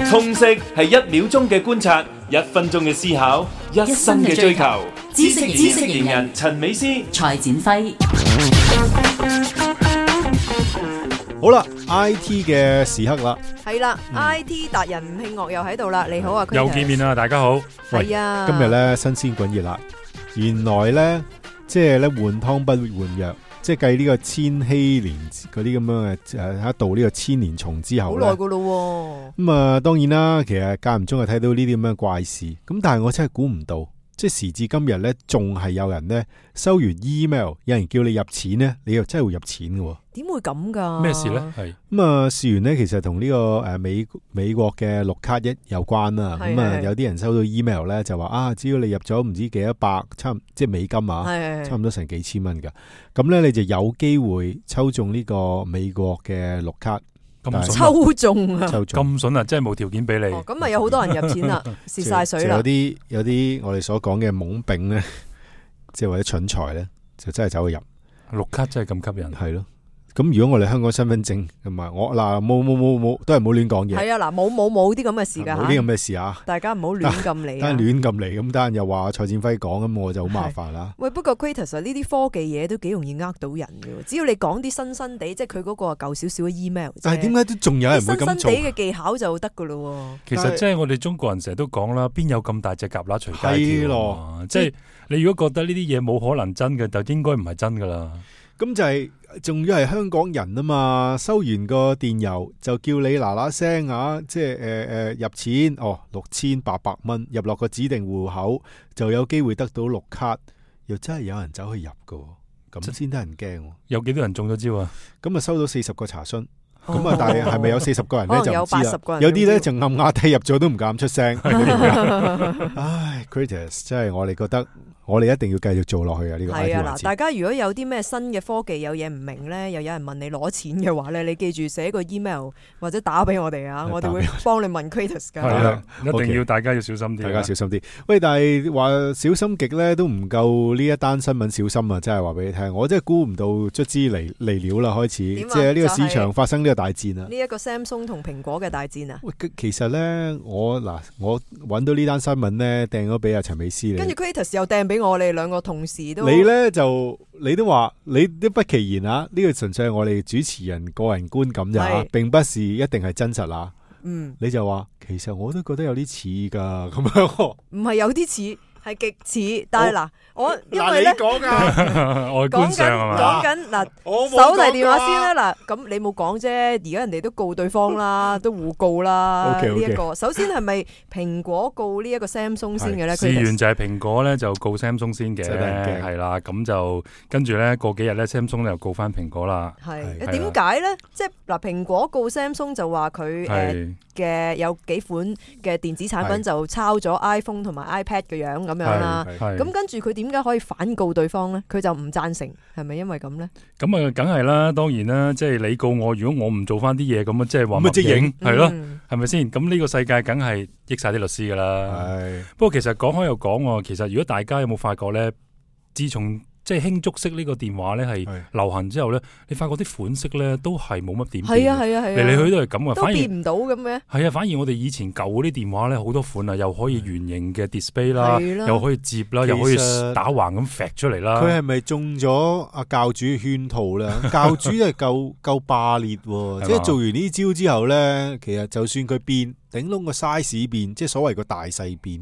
通識係1秒鐘嘅觀察，1分鐘嘅思考，1生嘅追求。知識型人陳美詩、蔡展輝。好啦 ，IT 嘅時刻啦，係啦，IT 達人吳慶岳又喺度啦，你好啊，又見面啦，大家好。係啊，今日咧新鮮滾熱辣，原來咧即係咧換湯不換藥，即係計呢個千禧年嗰啲咁樣嘅一度呢個千年蟲之後咧，好耐噶咯。咁啊，當然啦，其實間唔中就睇到呢啲咁樣嘅怪事，咁但係我真係估唔到。即係時至今日咧，仲係有人咧收完 email， 有人叫你入錢咧，你又真係會入錢嘅。點會咁噶？咩事咧？係咁啊，事源咧其實同呢個美國嘅綠卡一有關啦。咁啊，有啲人收到 email 咧就話啊，只要你入咗唔知幾多百，即係美金啊，差唔多成幾千蚊噶。咁咧你就有機會抽中呢個美國嘅綠卡。抽中啊！咁筍啊！真係冇條件俾你。咁咪有好多人入錢啦，蝕晒水啦。有啲我哋所講嘅懵丙咧，即係或者蠢材咧，就真係走去入綠卡，真係咁吸引。係咯。咁如果我哋香港身份證同埋我嗱冇都係唔好亂講嘢。係啊，嗱冇啲咁嘅事噶吓。冇啲咁嘅事啊！大家唔好亂咁嚟。單亂咁嚟，咁單又話蔡展輝講，咁我就好麻煩啦。喂，不過 Kratos 呢啲科技嘢都幾容易呃到人嘅，只要你講啲新地，即係佢嗰個舊少少嘅 email。但係點解都仲有人會咁做？新地嘅技巧就得噶咯。其實即係我哋中國人成日都講啦，邊有咁大隻蛤乸隨街跳咯？即係你如果覺得呢啲嘢冇可能真嘅，就應該唔係真噶啦。咁就係仲要係香港人啊嘛，收完個電郵就叫你嗱聲啊，即係入錢6800蚊入落個指定戶口就有機會得到綠卡，又真係有人走去入噶，咁先得人驚。有幾多人中咗招啊？咁啊收到40個查詢，咁啊但係係咪有40個人咧就唔知啦。有80個人，有啲咧就暗啞底入咗都唔敢出聲。唉 ，Kratos 真係我哋覺得。我哋一定要繼續做落去啊！呢個係啊嗱，大家如果有啲咩新嘅科技有嘢唔明咧，又有人問你攞錢嘅話咧，你記住寫個 email 或者打俾我哋啊，我哋會幫你問 Kratos 噶。係啊，一定要大家要小心啲，大家小心啲。喂，但係話小心極咧都唔夠呢一單新聞小心啊！真係話俾你聽，我真係估唔到卒之嚟料啦，開始即係呢個市場發生呢個大戰啊！呢一個 Samsung 同蘋果嘅大戰啊！喂，其實咧我揾到呢單新聞咧，掟咗俾阿陳美詩，跟住 Kratos 又掟俾我哋兩個同事都。你咧就你都話你都不其然啊！呢個純粹係我哋主持人個人觀感咋，並不是一定係真實啊。你就話其實我都覺得有啲似噶咁樣，唔係有啲似。係極似，但係嗱，我因為咧外觀上係嘛？講緊嗱，手提電話先啦嗱，咁你冇講啫，而家人哋都告對方啦，都互告啦。呢一個首先係咪蘋果告呢一個 Samsung 先嘅咧？事源就係蘋果咧就告 Samsung 先嘅，係啦，咁就跟住咧過幾日咧 Samsung 咧又告翻蘋果啦。係點解咧？即係嗱，蘋果告 Samsung 就話佢嘅有幾款嘅電子產品就抄咗 iPhone 同埋 iPad 嘅樣咁樣啦，咁跟住佢點解可以反告對方咧？佢就唔贊成，係咪因為咁咧？咁啊，梗係啦，當然啦，即係你告我，如果我唔做翻啲嘢，咁啊，即係話默認係咯，係咪先？咁呢個世界梗係益晒啲律師噶啦。不過其實講開又講，其實如果大家有冇發覺咧，自從即係輕觸式呢個電話咧係流行之後咧，你發覺啲款式咧都係冇乜點變，係啊，嚟嚟去都係咁啊，都變唔到咁嘅。係啊，反而我哋以前舊嗰啲電話咧好多款啊，又可以圓形嘅 display 啦，又可以接啦，又可以打橫咁揈出嚟啦。佢係咪中咗阿教主嘅圈套咧？教主係夠霸烈，即係做完呢招之後咧，其實就算佢變，頂籠個 size 變，即係所謂個大細變。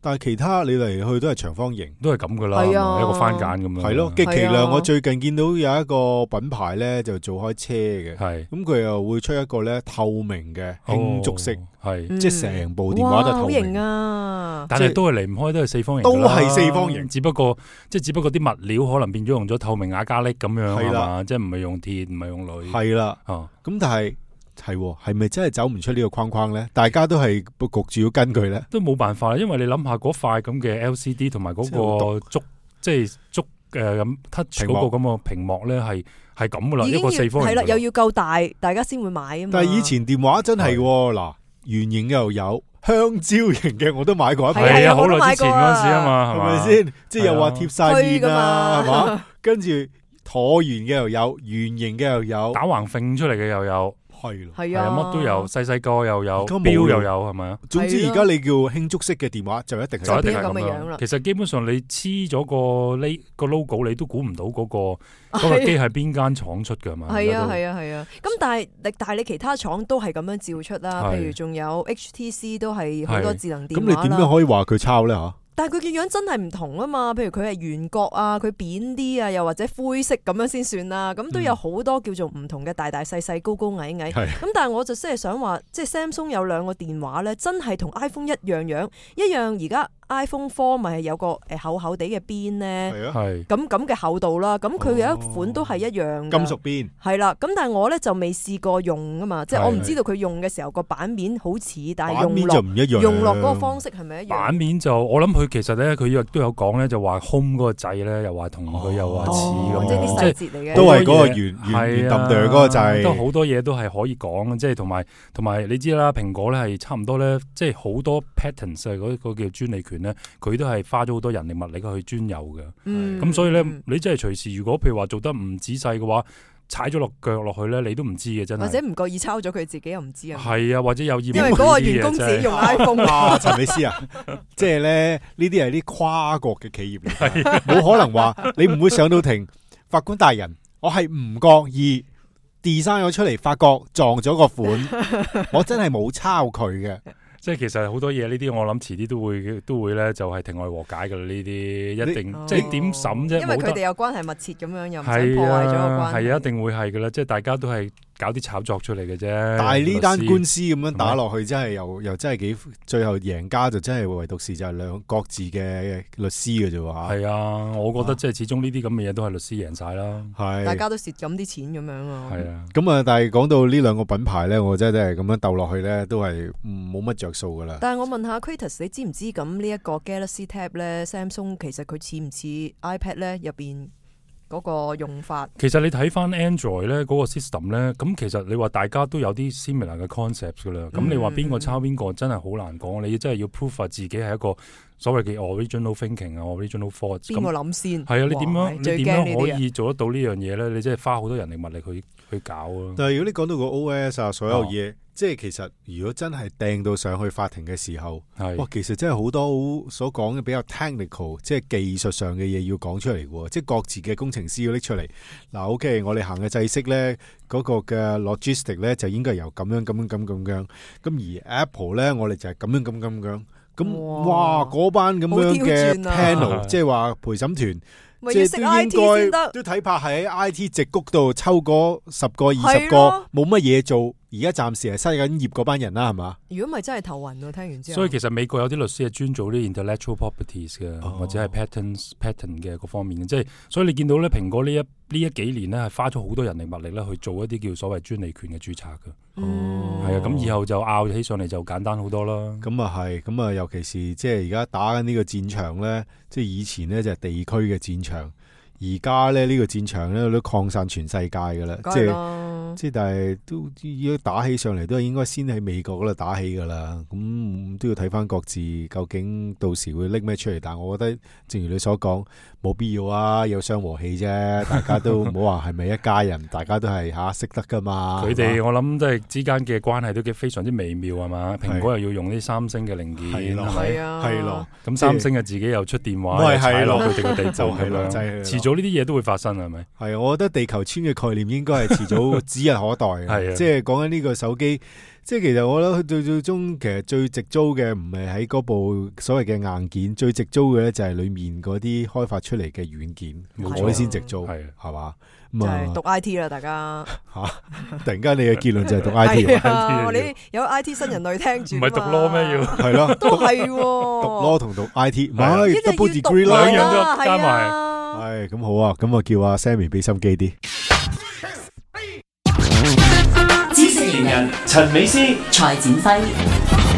但係其他你嚟去都係長方形，都係咁噶啦，一個番梘咁樣。係咯，極其量我最近見到有一個品牌咧就做開車嘅，咁佢又會出一個咧透明嘅輕觸式，即係成部電話都透明啊！但係都係離唔開都係四方形，都係四方形，只不過啲物料可能變咗用咗透明亞加力咁樣係嘛，即係唔係用鐵，唔係用鋁。係啦，咁但係。係咪真係走唔出呢個框框咧？大家都係焗住要跟佢咧，都冇辦法啦。因為你諗下嗰塊咁嘅 LCD 同埋嗰個觸咁 touch 嗰個咁嘅屏幕咧，係咁噶啦，一個四方形係啦，又要夠大，大家先會買啊嘛。但係以前電話真係嗱，圓形嘅又有，香蕉型嘅我都買過一排，係啊，好耐之前嗰陣時啊嘛，係咪先？即係又話貼晒面啊，係嘛？跟住橢圓嘅又有，圓形嘅又有，打橫揈出嚟嘅又有。係咯，係啊，乜都有，細個又有，錶又有，係咪啊？總之而家你叫輕觸式嘅電話就一定係咁嘅樣啦。其實基本上你黐咗個 logo， 你都估唔到嗰個機係邊間廠出㗎嘛？係啊。咁但係你其他廠都係咁樣照出啦，譬如仲有 HTC 都係好多智能電話啦。咁你點樣可以話佢抄咧嚇？但係佢嘅樣真係唔同啊嘛，譬如佢係圓角啊，佢扁啲啊，又或者灰色咁樣先算啦。咁都有好多叫做唔同嘅大大細細、高高矮矮。咁但係我就真係想話，即係 Samsung 有兩個電話咧，真係同 iPhone 一樣。而家 iPhone 4咪係有個厚厚地嘅邊咧，咁嘅厚度啦。咁佢有一款都係一樣金屬邊。係啦，咁但係我咧就未試過用啊嘛，即係我唔知道佢用嘅時候個版面好似，但係用落嗰個方式係咪一樣？版面就我諗佢其實咧，佢亦都有講咧，就話 Home 嗰個掣咧，又話同佢又話似咁，即係啲細節嚟嘅，都係嗰個圓揼嗰個掣，都好多嘢都係可以講，即係同埋你知啦，蘋果咧係差唔多咧，即係好多 patents 嗰個叫專利權咧，佢都係花咗好多人力物力去專有嘅。咁所以咧，你真係隨時如果譬如話做得唔仔細嘅話，踩咗落腳落去咧，你都唔知嘅真係。或者唔覺意抄咗佢自己又唔知啊。係啊，或者有意因為嗰個員工自己用 iPhone 啊，陳美斯啊，即係咧呢啲係啲跨國嘅企業嚟，冇可能話你唔會上到庭，法官大人，我係唔覺意 design 咗出嚟，發覺撞咗個款，我真係冇抄佢嘅。即係其實好多嘢呢啲，我諗遲啲都會咧，就係庭外和解噶啦。呢啲一定即係點審啫？因為佢哋有關係密切咁樣，又唔想破壞咗個關係。係啊，一定會係噶啦。即係大家都係搞啲炒作出嚟嘅啫。但係呢單官司咁樣打落去，真係又真係幾最後贏家就真係唯獨是就係各自嘅律師嘅啫喎。係啊，我覺得即係始終呢啲咁嘅嘢都係律師贏晒啦。係大家都蝕咁啲錢咁樣啊。係啊。咁啊，但係講到呢兩個品牌咧，我真係咁樣鬥落去咧，都係冇乜着數噶啦。但係我問下 Kratos， 你知唔知咁呢一個 Galaxy Tab 咧 ，Samsung 其實佢似唔似 iPad 咧入邊嗰個用法？其實你睇翻 Android 咧嗰個 system 咧，咁其實你話大家都有啲 similar 嘅 concept 噶啦。咁你話邊個抄邊個，真係好難講。你真係要 prove 下自己係一個所謂嘅 original thinking 啊 ，original thought。邊個諗先？係啊，你點樣可以做得到呢樣嘢咧？你真係花好多人力物力去搞啊！但係如果你講到個 OS 啊，所有嘢。即係其實如果真係掟到上去法庭嘅時候，哇，其實真係好多所講嘅比較 technical， 即係技術上嘅嘢要講出嚟嘅，即係各自嘅工程師要拎出嚟。嗱，OK，我哋行嘅制式咧，嗰個嘅 logistic 咧就應該由咁樣。咁而 Apple 咧，我哋就係咁樣。咁哇，嗰班咁樣嘅 panel， 即係話陪審團。即係都應該都睇怕喺 IT 矽谷度抽嗰10個20個冇乜嘢做，而家暫時係失緊業嗰班人啦，係嘛？如果唔係真係頭暈喎，聽完之後。所以其實美國有啲律師係專做啲 intellectual properties 嘅，或者係 patent 嘅各方面嘅，即係所以你見到咧，蘋果呢一幾年咧係花咗好多人力物力咧去做一啲叫所謂專利權嘅註冊嘅。係啊，咁以後就拗起上嚟就簡單好多啦。咁啊係，咁啊尤其是即係而家打緊呢個戰場咧，即係以前咧就係地區嘅戰場，而家咧呢個戰場咧都擴散全世界噶啦，即係但係都如果打起上嚟都係應該先喺美國嗰度打起噶啦，咁都要睇翻各自究竟到時會拎咩出嚟。但係我覺得正如你所講，冇必要啊，有傷和氣啫，大家都唔好話係咪一家人，大家都係識得噶嘛。佢哋我諗即係之間嘅關係都非常之微妙係嘛？蘋果又要用啲三星嘅零件，係咯，咁三星嘅自己又出電話，踩落佢哋個地就係啦，遲早呢啲嘢都會發生係咪？係，我覺得地球村嘅概念應該係遲早指日可待嘅，即係講緊呢個手機。即係其實我覺得最終其實最直租嘅唔係喺嗰部所謂嘅硬件，最直租嘅咧就係裏面嗰啲開發出嚟嘅軟件，我哋先直租係嘛？就係讀 I T 啦，大家吓！突然間你嘅結論就係讀 I T， 你有 I T 新人類聽住，唔係讀 law 咩要？係咯，都係讀 law 同讀 I T， 唔係 double degree 兩樣都加埋。係咁好啊，咁我叫阿 Sammy 俾心機啲。知識型人陳美斯、蔡展輝。